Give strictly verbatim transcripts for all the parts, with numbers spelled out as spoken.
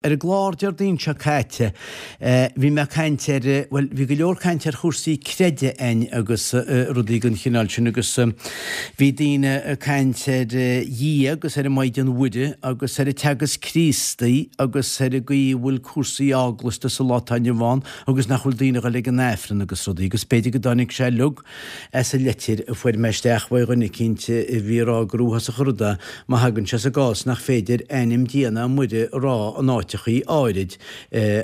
Ar an gclár Déardaoin seo caite, bhí mé ag caint ar, bhuel, bhí go leor caint ar chúrsaí creidimh againn agus rudaí den chineál sin agus bhí daoine ag caint ar Dhia agus ar an Maighdean Mhuire agus ar an Teagasc Críostaí agus ar an gcaoi a bhfuil cúrsaí eaglasta sa lá atá inniu ann agus nach bhfuil daoine ag dul ag an Aifreann agus rudaí agus b'fhéidir go dtáinig sé uilig as an leitir a fuair mé isteach uaidh dhuine eicínt a bhí ag rá gur uafásach an rud é má thagann sé sa gcás nach féidir ainm Dia ná Muire a rá in áiteachaí áirid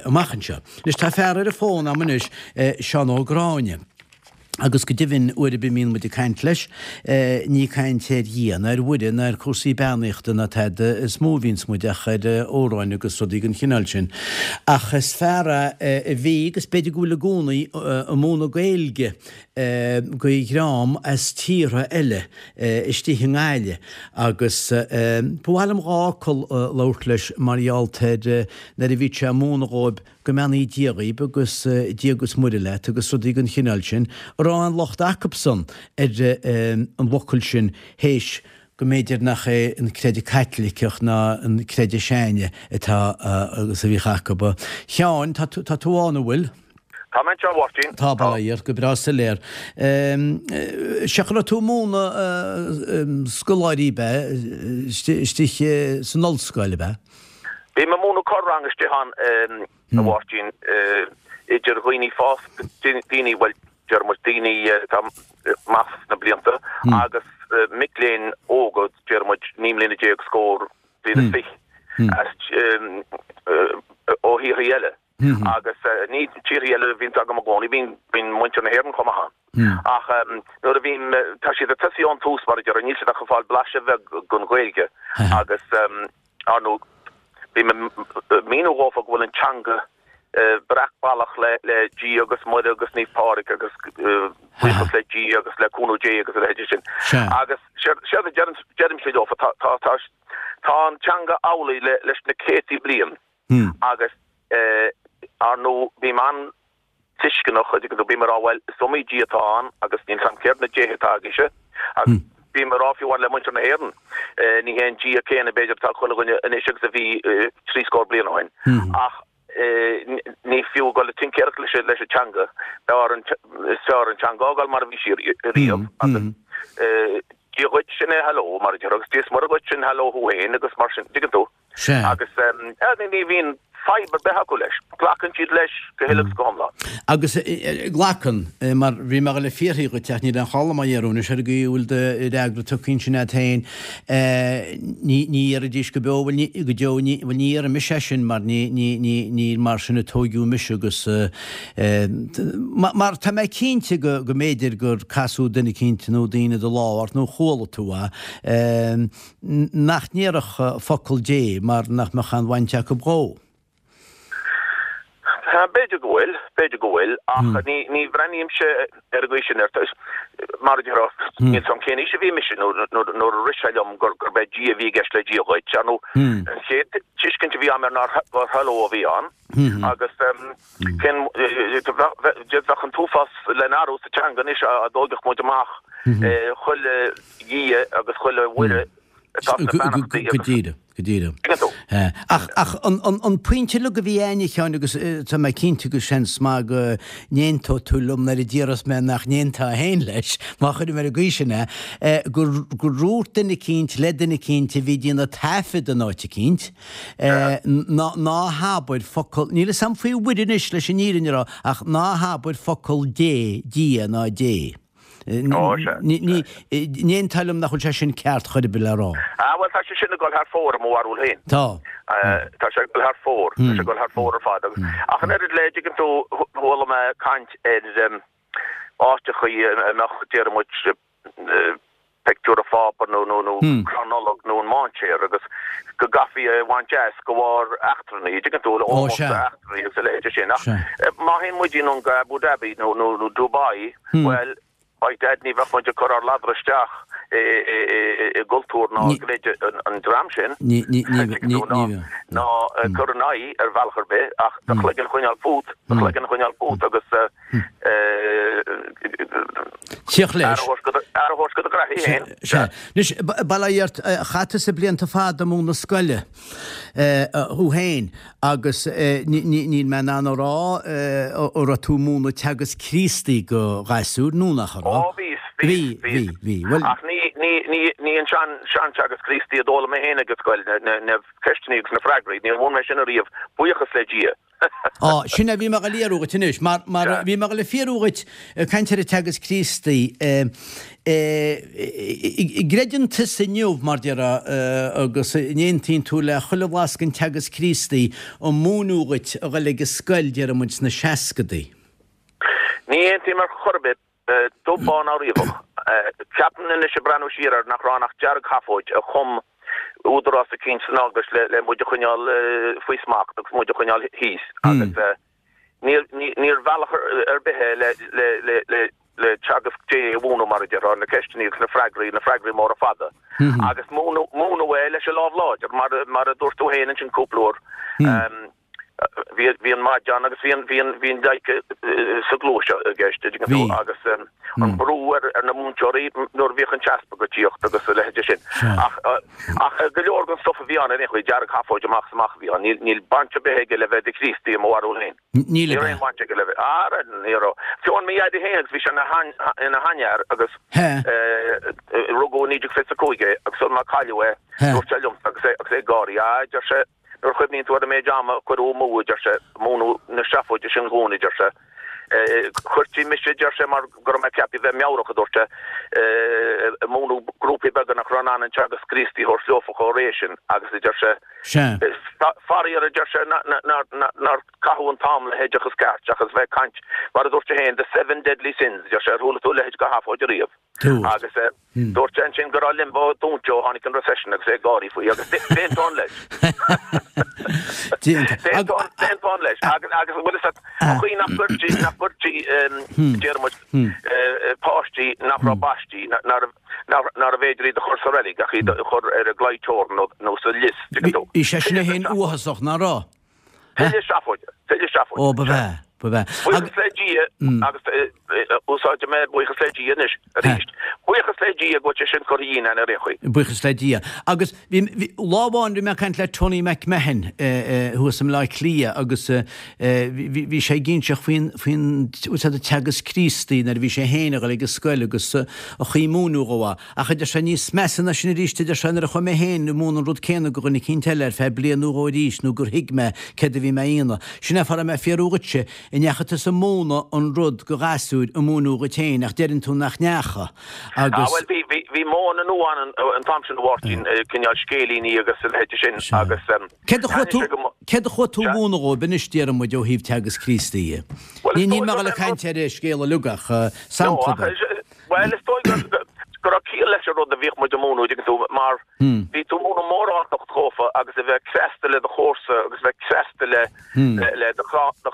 amach anseo. Anois tá fear ar an bhfón a'm anois, Seán Ó Gráinne. Agus go deimhin, uair ar bith a mbíonn muid ag caint leis, ní caint ar Dhia ná ar Mhuire ná ar chúrsaí beannaíochta ná tada is mó a bhíonns muid ach ar amhráin agus rudaí den chineál sin. Ach is fear é a bhí, agus b'fhéidir go bhfuil i gcónaí, ag múineadh Gaeilge go dhream as tíortha eile istigh i nGaillimh agus ba mhaith liom dhá fhocal a labhairt leis mar gheall ar nuair a bhíodh sé ag múineadh dhóibh Go mbeannaí Dia dhaoib agus Dia agus Muire leat agus rudaí den chineál sin, an raibh aon locht acubsan ar an bhfocal sin théis go mb'fhéidir nach é an creideamh Caitliceach ná an creideamh s'againne atá agus a bhíodh acub. A Sheáin, tá tú, tá tú ann, an bhfuil? Tá mé anseo, a Mháirtín. Tá, bail ó Dhia ort, go breá soiléir. Sea, go raibh tú ag múineadh scoláirí, ab ea, istigh san ollscoil, ab ea? Bím ag múineadh corr-rang istigh ann, a Mháirtín, idir dhaoine fásta, daoine, bhuel, deir muid daoine atá amach sna blianta agus mic léinn óga, deir muid naoi mbliana déag, scór, bliain is fiche, as, ó thíortha eile. Agus ní tíortha eile a bhíonns agam i gcónaí, bíonn, bíonn muintir na hÉireann chomh maith ann. Ach nuair a bhím, tá siad ag tosaí ón tús, mar a déarfá, níl siad ach ag fáil blaiseadh bheag den Ghaeilge agus, Ar ndóigh, bím ag míniú dhófa go bhfuil an teanga breac ballach le Dia agus Muire agus Naomh Pádraig agus buíochas le Dia agus le cúnamh Dé agus a leithéid sin. Agus séard a deirimse leofa, tá an teanga amhlaidh leis na céadtaí bliain agus ar ndóigh bím an tuisceanach, an dtuigeann tú, bím ag rá, bhuel, is iomaí Dia atá ann agus níl 's a'm céard na déithe atá agaibhse agus bím ag rá fiú amháin le muintir na hÉireann, ní hé an Dia céanna b'fhéidir atá ag chuile dhuine anois agus a bhí trí scór bliain ó shin ach ní fiú a dhul ag tincéireacht leis leis an teanga, b'fhearr an, is fearr an teanga a fhágáil mar a bhí sí riamh agus Dia dhuit sin é hello mar a déarfá agus Dia is Muire dhuit sin hello thú féin agus mar sin, dtuigeann tú. Sea. Agus ní bhíonn fadhb ar bith acu leis. Glacann siad leis go huile agus go hiomlán. Agus glacann, mar bhí mé ag dul a fiafraí dhuit ach níl aon chall liom á iarraidh anois ar an gcaoi a bhfuil do fhreagra tugtha ansin agat féin. Ní ní dhéarfaidís go beo, bhuel ní, go deo, ní, bhuel ní dhéarfaidh mise é sin mar ní, ní, ní, ní mar sin a tóigeadh mise agus mar tá mé cinnte go, go mb'fhéidir gur casadh duine eicínt nó daoine de lámh ort nó chuala tú é. nach ndéarfadh focal Dé mar nach mbeadh aon bhaint acu dhó. B'fhéidir go bhfuil, b'fhéidir go bhfuil, ach ní, ní bhreathnaímse ar an gcaoi sin air. Mar a déarfá, níl 's a'm cén aois a bhí mise nuair, nuair, nuair a rith sé liom gur, gurb é Dia a bhí i gceist le Dia dhuit. Ar ndóigh, an chéad tuiscint a bhí a'm air ná gur hello a bhí ann agus cén, bheadh an t-uafás le n-athrú sa teanga anois dá dtógfadh muid amach chuile Dhia agus chuile Mhuire atá sna beannachtaí agus. Go díreach, go díreach. Tuigeann tú? Ach, ach an, an, an pointe uilig a bhí a'inn, a Sheáin, agus tá mé cinnte go seans maith go n-aontóidh tú liom nuair a déarfas mé nach n-aontófá féin leis, má chuirim ar an gcaoi sin é, gur, gur dhúirt duine eicínt le duine eicínt a bhí ag déanamh taifead in áit eicínt, ná, ná habair focal, níl 'fhios a'm faoi Mhuire anois leis an fhírinne a rá, ach ná habair focal Dé, Dia ná Dé. Ó, sea. Ní aontófá liom nach bhfuil sé sin ceart chor ar bith le rá. Ah, bhuel, tá sé sin ag dul thar fóir i mo bharúil féin. Tá. Tá sé ag dul thar fóir. Tá sé ag dul thar fóir ar fad. Agus, ach an oiread le, dtuigeann tú, chuala mé caint ar áiteachaí a mbeadh, déarfaidh muid, pictiúr an Phápa nó nó nó crann Nollag nó an mainséar agus go gcaithfí é a bhaint as de bharr eachtrannaigh, dtuigeann tú, ómós d'eachtrannaigh agus a leithéide sin. Ach má théann muid anonn go Abu Dhabi nó nó Dubai, bhuel, by dad ní bheadh muid ag cur ár ladra isteach i gcultúr ná i gcreideamh an dream sin, dtuigeann tú, ná ná cur in aghaidh ar bhealach ar bith ach do chloigeann a choinneáil fút, do chloigeann a choinneáil fút agus Tíocht leis. Aire a a thabhairt go do ghraithí féin. Sea. Anois, bail ó Dhia ort, chaith tusa blianta fada ag múineadh scoile thú féin agus níl mé in ann a rá an raibh tú ag múineadh Teagasc Críostaí go ghasúir nó nach raibh? Ó, bhíos, bhí, bhí. Bhí, bhí. Ach ní, ní, ní, ní an sean, sean-Teagasc Críostaí a d'fhoghlaim mé féin ag an scoil, na, na ceisteanna agus na freagraí, níor mhúin mé sin ariamh, buíochas le Dia. Á, sin é, bhí mé ag dul a fhiafraí dhuit anois, mar, mar bhí mé ag dul a fhiafraí dhuit, ag caint ar an Teagasc Críostaí, an gcreideann tusa inniu, mar déarfá, agus an aontaíonn tú le chuile bhlas den Teagasc Críostaí a múineadh dhuit a dhul ag an scoil, déarfaidh muid, sna seascadaí? Ní aontaím ar chor ar bith. Dubh bán ná riabhach. Ceapaim anois ag breathnú siar air nach raibh ann ach deargsheafóid a chum údarás eicínt san Eaglais le muid a choinneáil faoi smacht agus muid a choinneáil thíos agus níor bhealach ar bith é le teagasc Dé a mhúineadh mar a déarfá, na ceisteanna agus na freagraí, na freagraí móra fada. Agus múineadh é leis an lámh láidir mar a dúirt tú féin ansin cúpla uair. Bhí bhí an maide ann agus bhí an bhí an bhí an pleidhce sa gcluais i gceist, an dtuigeann tú, agus an brú ar ar na múinteoirí nuair a bhíodh an t-easpag ag tíocht agus a leithéide sin. Ach ach go leor den stuff a bhí ann ar aon chaoi, deargsheafóid amach is amach a bhí ann. Níl níl baint ar bith aige le bheith i do Chríostaí i mo bharúil féin. Níl Ní raibh aon bhaint aige le bheith. Ah, ní raibh. Fiú mo dhaidí féin agus bhí sé ina ina sheanfhear agus rugadh i naoi déag fiche a cúig é agus sul má cailleadh é dúirt sé liomsa agus é agus é ag gáirí, ah, deir sé, Nuair a chuimhníonn tú ar an méid ama a cuireadh amú, a deir sé, ag múineadh na seafóide sin dhúinn, a deir sé. Chuirtí mise, a deir sé, mar go raibh mé ceaptha a bheith meabhrach, a dúirt sé, ag múineadh grúpaí beaga nach raibh in ann an Teagasc Críostaí a thabhairt leofa chomh réidh sin agus, a deir sé, faraor, a deir sé, nár caitheadh an t-am le hoideachas ceart seachas bheith ag caint, mar a dúirt sé féin, the seven deadly sins, a deir sé, ar chuala tú a leithéid de sheafóid ariamh? Dúirt. Agus dúirt sé ansin go raibh limbo dúnta ó tháinig an recession agus é ag gáirí faoi agus d'aontóinn leis. D'aontóinn leis. Agus agus bhfuil fhios agat an chaoi nach gcuirtí nach gcuirtí déarfaidh muid páistí nach raibh baistí nárbh nárbh fhéidir iad a chur sa reilig ach iad a chur ar an gclaí teorann nó sa lios, tuigeann tú. Bhí sé sin féin uathasach, nach raibh? Tuilleadh seafóide, tuilleadh seafóide. Ó, ba bhea, ba bhea. Buíochas le Dia, agus úsáidfidh mé buíochas le Dia anois, arís. Buíochas le Dia go bhfuil sé sin curtha dhínn ar aon chaoi. Buíochas le Dia. Agus bhí, bhí, lá amháin bhí mé ag caint le Tony McMahon thuas i mBleá Cliath agus bhí, bhí sé ag inseacht faoin, faoin, bhfuil teagasc Críostaí nuair a bhí sé féin ag dul ag an scoil agus an chaoi a múineadh dhó é. Ach a deir sé, níos measa ná sin arís, a deir sé, nuair a chuaigh mé féin ag múineadh an rud céanna go dhuine eicínt eile ar feadh bliain nó dhó arís nó gur thuig mé céard a bhí mé a dhéanamh. Sin é fáth a raibh mé ag fiafraí dhuitse, an ndeachaigh tusa ag múineadh an rud go ghasúir a múineadh dhuit féin ach deireann tú nach ndeachaigh Ah, agus. bhuel, bhí, bhí, bhí modhanna nua ann an t-am sin, a Mháirtín, cineál scéilíní agus a leithéide sin agus Céard a chuaigh tú, thaitnigh sé go mo, céard a chuaigh tú a sea. mhúineadh dhóibh anois, déarfaidh muid, ó thaobh teagasc Críostaí dhe? Bhuel, Ní, is níl dóigh mé ag gurb dul é ag an rud, caint ar an scéal uilig ach no, sampla ach, beag. Bhuel, is dóigh go raibh ciall leis an rud a bhíodh muid a múineadh, tuigeann tú, mar bhí tú ag múineadh móráltacht dhófa agus a bheith cneasta le do chomharsa agus a bheith cneasta le le do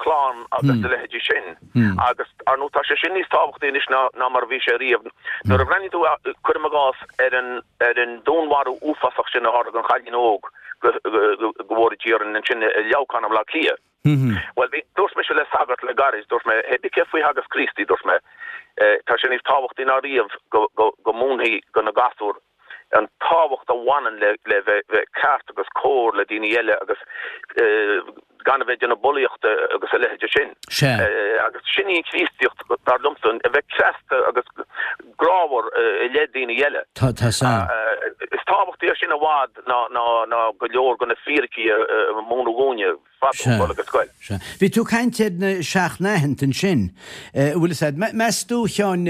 chlann agus a leithéidí sin. Agus, ar ndóigh, tá sé sin níos tábhachtaí anois ná ná mar a bhí sé riamh. Nuair a bhreathnaíonn tú, cuirim i gcás, ar an ar an dúnmharú uafásach sin a tharla don chailín óg go go bhfóire Dia orainn ansin i Leamhcán i mBleá Cliath. Bhuel, bhí, dúirt mise le sagart le gairid, dúirt mé, hé bí céard faoi theagasc Críostaí, dúirt mé, tá sé níos tábhachtaí ná riamh go, go, go múinfí do na gasúir an tábhacht a bhaineann le, le bheith, bheith ceart agus cóir le daoine eile agus gan a bheith ag déanamh bulaíochta agus a leithéide sin. Sea. Agus sin í an Chríostaíocht, dar liomsa, a bheith cneasta agus grámhar i leith daoine eile. Tá, tá, sea. Is tábhachtaí é sin i bhfad ná, ná, ná go leor de na fíricí a múineadh dhúinne. Sea, sea. Bhí tú ag caint ar na seacht n-aitheanta ansin. An bhfuil fhios a'd, meas tú, a Sheáin,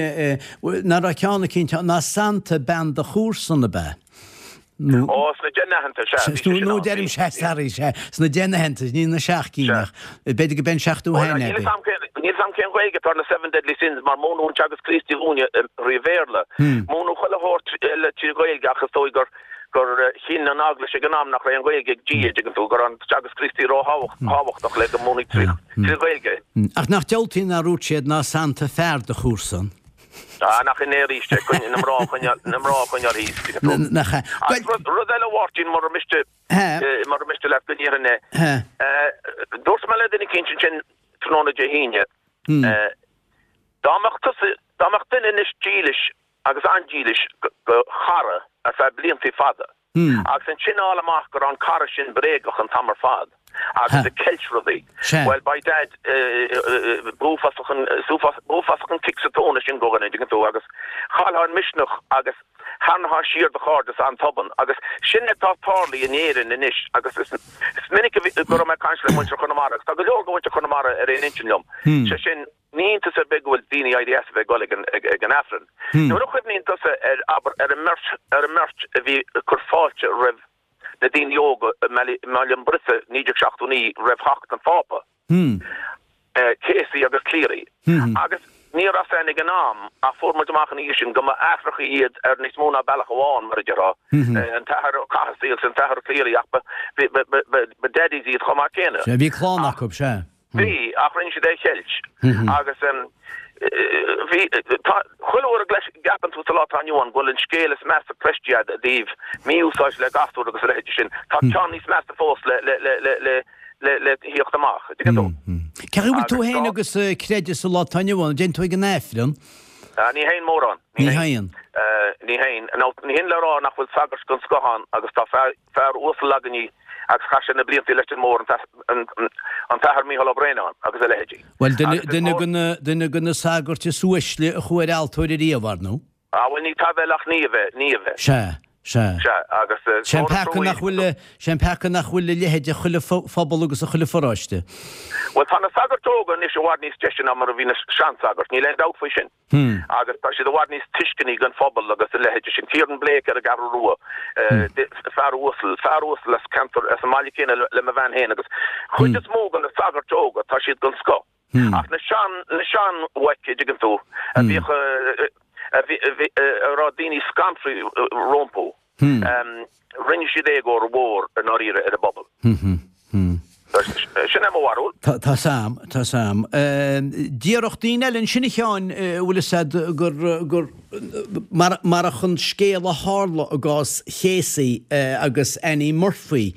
nach raibh ceann eicínt ann, ná sannta bean do chomharsan, ab ea? Nó. Ó, sna deich n-aitheanta, sea, bhí sé sin Nó ann, deirim, bhí, sea, bhí. sorry, sea, sna deich n-aitheanta, ní na seacht gcinn Sea. ach b'fhéidir go b'é an seachtú Ó, haon níl é, fhios a'm cén, níl fhios a'm cén Ghaeilge atá ar na seven deadly sins mar múineadh an Teagasc Críostaí dhúinne trí Bhéarla. Múineadh chuile shórt eile trí Ghaeilge ach is dóigh gur, gur chinn an Eaglais ag an am nach raibh an Ghaeilge ag Dia, dtuigeann tú, go raibh an Teagasc Críostaí ró-thábhachtach le go múinfí trí trí Ghaeilge. Ach nach diabhaltaí nár dhúirt siad ná sannta fear do chomharsan? Ah, nach in é arís é, coinne, na mná a choinneáil, na mná a choinneáil thíos, tuigeann tú. Nach ea. Agus rud, rud eile a Mháirtín, mura miste, mura miste leat go ndéarfainn é, dúirt mé le duine eicínt ansin tráthnóna Dé hAoine, dá mbeadh tusa, dá mbeadh duine anois dílis, agus an-dílis go chara ar feadh bliantaí fada. Agus ansin fháil amach go raibh an cara sin bréagach an t-am ar fad agus ag ceilt rudaí. Bhuel, by dad, b'uafásach an, b'uafásach an cic sa tóin é sin go dhuine, dtuigeann tú, agus chaillfeá an misneach agus tharraingeofá siar do chairdeas an-tobann. Agus sin atá tarlaithe in Éirinn anois agus is minic a bhí, go raibh mé ag caint le muintir Chonamara agus tá go leor de mhuintir Chonamara ar aon intinn liom, sé sin, Ní hiontas ar bith go bhfuil daoine éirithe as a bheith ag dul ag an Aifreann. Nuair a chuimhníonn tusa ar, abair, ar an mbeirt, ar an mbeirt a bhí ag cur fáilte roimh na daoine óga i mBaile an Briosa naoi déag seachtó naoi roimh theacht an Phápa, Casey agus Cleary, agus ní raibh a fhios a'inn ag an am ach fuair muid amach ina dhiaidh sin go mba aithreacha iad ar níos mó ná bealach amháin, mar a déarfá, an tAthair Ó Cathasaigh agus an tAthair Cleary ach ba, ba, ba, ba daddies iad chomh maith céanna. Sea, bhí clann acu, sea. Bhí, ach rinne siad é a cheilt. Agus bhí, tá, chuile uair a gceapann tú sa lá atá inniu ann go bhfuil an scéal is measa cloiste agat i dtaobh mí-úsáid le gasúir agus a leithéidí sin, tá ceann níos measa fós le, le, le, le, le, le, le thíocht amach. An dtuigeann tú? Cén chaoi a bhfuil tú féin agus creideamh sa lá atá inniu ann? An dtéann tú ag an Aifreann? Ní théinn mórán. Ní théann. Ní théinn. Nó ní hin le rá nach bhfuil sagairt den scoth ann agus tá fear, fear uasal againne agus chaith sé na blianta i Leitir Móir, an tAthair Mícheál Ó Braonáin agus a leithéidí. Bhuel, duine de na, duine de na sagairt is uaisle a chuaigh ar altóir ariamh, ar ndóigh. Ah, bhuel, ní taibhe eile ach ní a bheith, ní a bheith. Sea, sea. Sea, agus Sé an peaca nach bhfuil, sé an peaca nach bhfuil a leithéid i chuile phobal agus i chuile pharóiste. Bhuel, tá na sagairt óga anois i bhfad níos deise ná mar a bhí na seansagairt, níl aon dabht faoi sin. Agus tá siad i bhfad níos tuisceanaí don phobal agus a leithéid sin. Kieran Blake ar an gCeathrú Rua, fear uasal, fear uasal as ceantar, as an mbaile céanna le mo bhean féin agus chuid is mó de na sagairt óga, tá siad den scoth. Ach na sean, na seanbhoic, a dtuigeann tú, a bhíodh, a bhí, a raibh daoine scanraithe rompu, rinne siad éagóir mhór i ndáiríre ar an bpobal. Sin é mo bharúil. Tá 's a'm, tá 's a'm. Déarfadh daoine eile ansin a Sheáin, an bhfuil 'fhios a'd gur, gur, marach an scéal a tharla i gcás Casey agus Annie Murphy,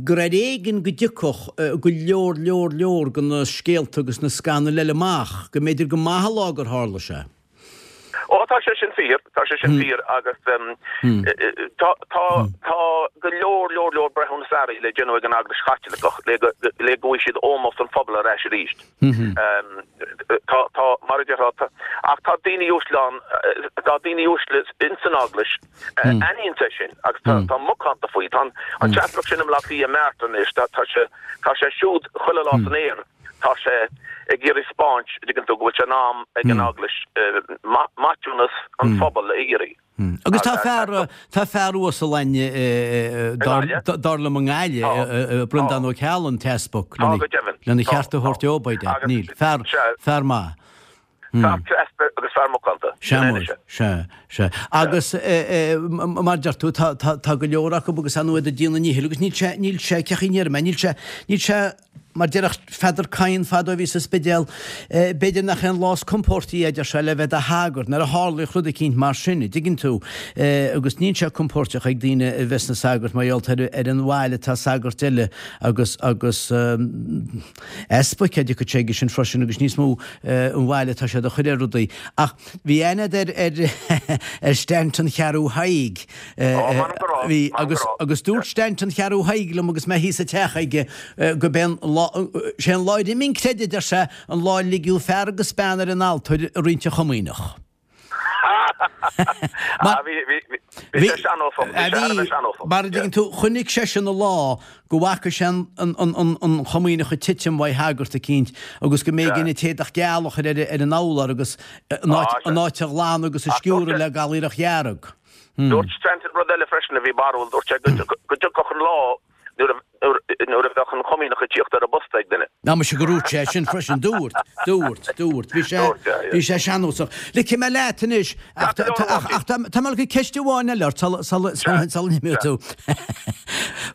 gur ar éigean go dtiocfadh go leor leor leor de na scéalta agus na scannail eile amach, go mb'fhéidir gur maith an lá gur tharla sé. Ó, tá sé sin fíor, tá sé sin fíor agus tá, tá, tá go leor leor leor breithiúnas airí le déanamh ag an Eaglais Chaitliceach le go, le go bhfaighidh siad ómós an phobail ar ais arís. Tá, tá, mar a déarfá, tá, ach tá daoine uaisle ann, tá daoine uaisle ins an Eaglais a aithníonns é sin agus tá, tá macánta faoi. Tá an, an t-easpag sin i mBleá Cliath, Martin anois, tá, tá sé, tá sé siúd chuile lá san aer, tá sé ag iarraidh 'spáint, an dtuigeann tú, go bhfuil sé in am ag an Eaglais maithiúnas an phobail a iarraidh. Agus tá fear, tá fear uasal ann dar liom i nGaillimh, Breandán Ó Ceallaigh, an t-easpag, lena cheart a thabhairt dó, by dad. Níl. Fear, fear maith. Fear cneasta agus fear macánta. Sea, sea, sea. Agus mar a deir tú, tá, tá, tá go leor acu agus ar ndóigh iad ag déanamh a ndíchill agus níl sé, níl sé, cén chaoi a ndéarfaidh mé, níl sé, níl sé, Mar déarfadh Peadar Kyne fadó a bhí sa Spidéal, b'fhéidir nach é an lá is compóirtí é, a deir sé, le bheith i do shagart, nuair a tharlaíodh rud eicínt mar sin, a dtuigeann tú. Agus níl sé compóirteach ag daoine a bheith sna sagairt mar gheall ar an bhail atá sagairt eile agus, agus easpaig, a dtiocfadh sé aige sin freisin agus níos mó an bhail atá siad a chur ar rudaí. Ach bhí aithne agat ar, ar, ar Stanton Cheathrú Thaidhg. Bhí, agus, agus dúirt Stanton Cheathrú Thaidhg liom agus mé thíos sa teach aige, Gurb é an lá, sé an lá a d'imigh an creideamh, a deir sé, an lá a ligeadh fear agus bean ar an altóir ag rince chomaoineach. Bhí sé sean-nósach, bhí sé thar a bheith sean-nósach. Mar a dtuigeann tú, chonaic seisean an lá go bhfaca sé an chomaoineach ag titim uaidh shagart eicínt agus go mb'éigean an t-éadach geal a chur ar an urlár agus an áit a ghlanadh agus a sciúradh le galaorach dhearg. Dúirt Stanton rud eile freisin a bhí barrúil, dúirt sé go dtiocfadh an lá nuair a bheadh an chomaoineach ag tíocht ar an bposta ag duine. Á muise gur dhúirt sé sin freisin, dúirt, dúirt, dúirt. Bhí sé, bhí sé sean-nósach. Ligfidh mé leat anois, ach tá, ach tá mé le ceist amháin eile ort sula, sula, sula n-imeoidh tú.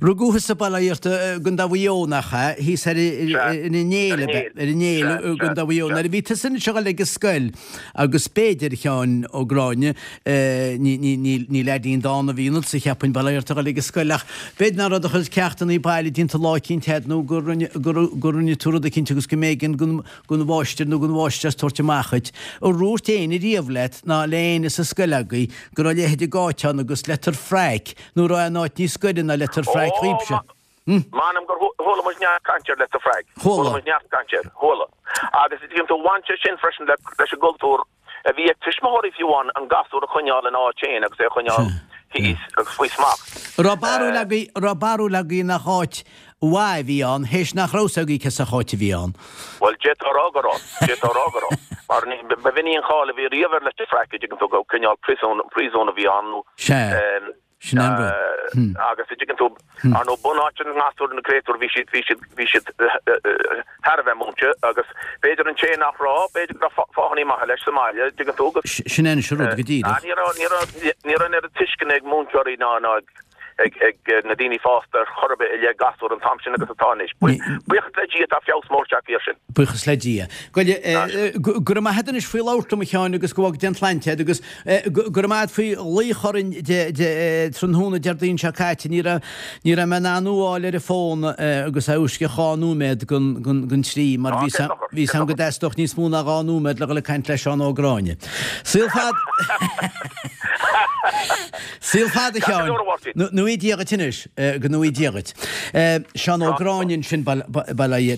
Rugadh thusa bail ó Dhia ort i gContae Mhaigh Eo, nach ea? Thíos ar an Néill, ab ea? Ar an Néill i gContae Mhaigh Eo. Nuair a bhí tusa anois ag dul ag an scoil, agus b'fhéidir, a Sheáin Ó Gráinne, ní leaidín dána a bhí ionatsa, cheapfainn, bail ó Dhia ort ag dul ag an scoil, ach b'fhéidir nach raibh do chuid ceachtanna baile déanta lá eicínt a'd nó go rinne tú rud eicínt agus go mb'éigean don mháistir nó don mháistreás tabhairt amach dhuit. Ar dhúirt éinne riamh leat ná le éinne sa scoil agaibh go raibh a leithéid de áit ann agus Leitir Fraic nó raibh aon áit níos gaire ná Leitir Fraic dhaoibhse? M'anam gur chuala muid neart cainte ar Leitir Fraic. Chuala muid neart cainte air. Chuala. Agus an dtuigeann tú, bhain sé sin freisin leis an gcultúr a bhí ag tuismitheoirí fiú amháin an gasúr a choinneáil ina áit féin agus é a choinneáil thíos agus faoi smacht. Raibh barúil agaibh, raibh barúil agaibh nach áit mhaith a bhí ann, théis nach raibh 'fhios agaibh cé sórt áit a bhí ann. Bhuel, d'fhéadfá a rá go raibh. D'fhéadfá a rá go raibh. Mar ní, ba mhinic an cháil a bhí riamh ar Leitir Fraic, an dtuigeann tú, gur cineál príosún, príosún a bhí ann nó. Sea. Sin an rud. Agus an dtuigeann tú, ar ndóigh, bunáite na ngasúr, na créatúir, bhí siad, bhí siad, bhí siad thar a bheith múinte agus b'fhéidir an té nach raibh, b'fhéidir go raibh fáthanna maithe leis sa mbaile, an dtuigeann tú, agus. Sin é an rud go díreach. Ní raibh, ní raibh, ní raibh an oiread tuisceana ag múinteoirí ná, ná ag. ag na daoine fásta ar chor ar bith i leith gasúr an t-am sin agus atá anois. Buíochas le Dia tá feabhas mór tagtha air sin. Buíochas le Dia. Go raibh maith agat anois faoi labhairt liom a Sheáin agus go bhfága Dia an tsláinte agat agus go raibh maith agat faoi ghlaoch orainn tráthnóna Déardaoin seo caite. Ní raibh ní raibh mé in ann thú a fháil ar an bhfón agus é uisce dhá nóiméad don trí mar bhí 'fhios a'm go dteastódh níos mó ná dhá nóiméad le dhul ag caint le Seán Ó Gráinne. Saol fada Saol fada a Sheáin. Go ngnóthaí Dia dhuit anois. Go ngnóthaí Dia dhuit. Seán Ó Gráinne ansin bail ó Dhia.